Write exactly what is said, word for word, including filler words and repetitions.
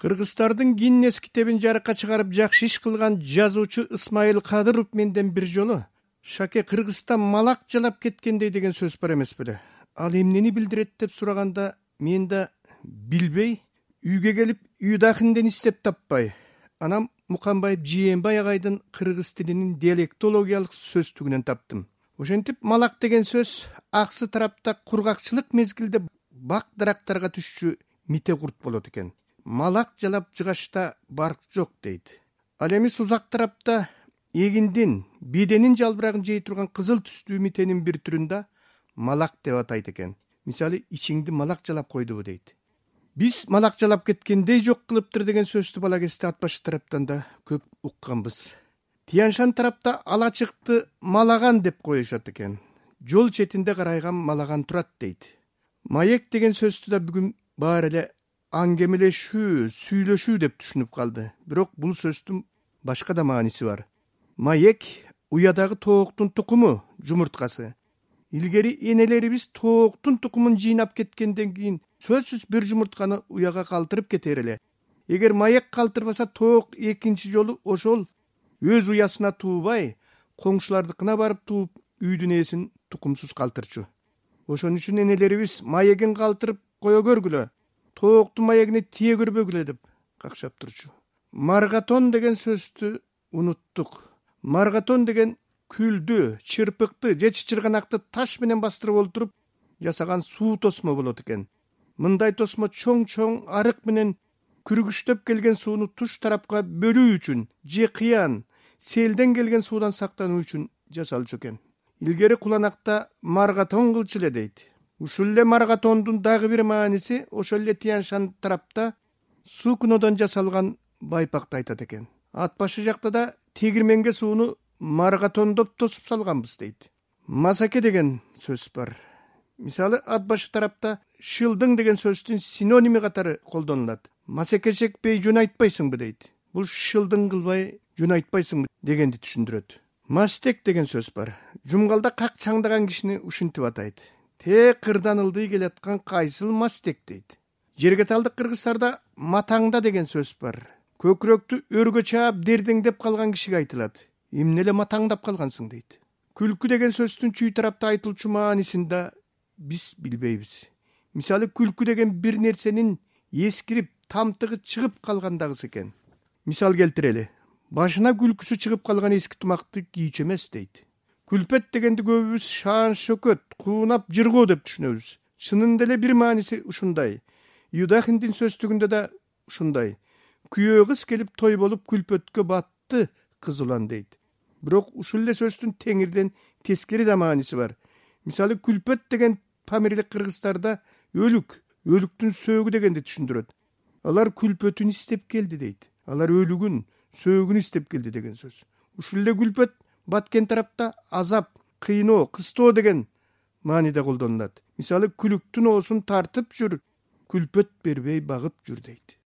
Кыргыздардын Гиннес китебин жарыкка чыгарып жакшы иш кылган жазуучу Исмаил Кадыров менден бир жолу «Шаке, Кыргызстан малак жалап кеткендей» деген сөз бар эмес беле? Ал эмнени билдирет деп сураганда мен да билбей, үйгө келип Юдахинден издеп таппай, анан Муканбаев Жээнбай агайдын кыргыз тилинин диалектологиялык сөздүгүнөн таптым. Ошентип малак деген сөз аксы тарапта кургакчылык мезгилде бак дарактарга түшчү мите курт болот экен. Малак жалап жыгашта барк жок дейт. Ал эми сузак тарапта эгиндин, беденин жалбырагын жей турган кызыл түстүү митенин бир түрүн да малак деп атайт экен. Мисалы, ичиңди малак жалап койдубу дейт. Биз малак жалап кеткендей жок кылыптыр деген сөздү бала кезде ат башы тараптан да көп укканбыз. Тияншан тарапта алачыкты малаган деп коюшат экен. Жол четинде карайган малаган турат дейт. Маек деген сөздү да бүгүн баары эле аңгемелешүү, сүйлөшүү деп түшүнүп калды. Бирок бул сөздүн башка да мааниси бар. Маек уядагы тооктун тукуму, жумурткасы. Илгери энелерибиз тооктун тукумун жыйнап кеткенден кийин сөзсүз бир жумуртканы уяга калтырып кетер эле. Эгер маек калтырбаса, тоок экинчи жолу ошол өз уясына туубай, коңшулардыкына барып тууп, үйдүн ээсин тукумсуз калтырчу. Ошон үчүн энелерибиз маегин калтырып кое көргүлө, тооктун маегине тие көрбөгүлө деп какшап турчу. Маргатон деген сөздү унуттук. Маргатон деген күлдү, чырпыкты же чычырганакты таш менен бастырып олтуруп жасаган суу тосмо болот экен. Мындай тосмо чоң-чоң арык менен күргүчтөп келген сууну туш тарапка бөлүү үчүн же кыян, селден келген суудан сактануу үчүн жасалчу экен. Илгери куланакта маргатон кылчу эле дейт. Ушул эле маргатондун дагы бир мааниси ошол эле Тияншан тарапта сукнодон жасалган байпакты айтат экен. Ат башы жакта да тегирменге сууну маргатондоп тосуп салганбыз дейт. Масаке деген сөз бар. Мисалы, ат башы тарапта шылдың деген сөздүн синоними катары колдонулат. Масаке чекпей жөн айтпайсыңбы дейт. Бул шылдың кылбай жөн айтпайсыңбы дегенди түшүндүрөт. Мастек деген сөз бар. Жумгалда как чаңдаган кишини ушинтип атайт. Те кырдан ылдый келаткан кайсыл мастек дейт. Жергеталдык кыргыздарда матаңда деген сөз бар. Көкүрөктү өргө чаап дердеңдеп калган кишиге айтылат. Эмне эле матаңдап калгансың дейт. Күлкү деген сөздүн чүй тарапта айтылчу маанисин да биз билбейбиз. Мисалы, күлкү деген бир нерсенин эскирип, тамтыгы чыгып калгандагысы экен. Мисал келтирели. Башына күлкүсү чыгып калган эски тумакты кийчү эмес дейт. Күлпет дегенди көбүбүз шаан шөкөт, куунап жыргоо деп түшүнөбүз. Чынында эле бир мааниси ушундай. Юдахиндин сөздүгүндө да ушундай. Күйөө кыз келип той болуп күлпөткө батты кыз улан дейт. Бирок ушул эле сөздүн теңирден тескери да мааниси бар. Мисалы, күлпөт деген памирлик кыргыздарда өлүк, өлүктүн сөөгү дегенди түшүндүрөт. Алар күлпөтүн издеп келди дейт. Алар өлүгүн, сөөгүн издеп келди деген сөз. Ушул эле күлпөт баткен тарапта азап, кыйноо, кыстоо деген мааниде колдонулат. Мисалы, күлүктүн оосун тартып жүр, күлпөт бербей багып жүр дейт.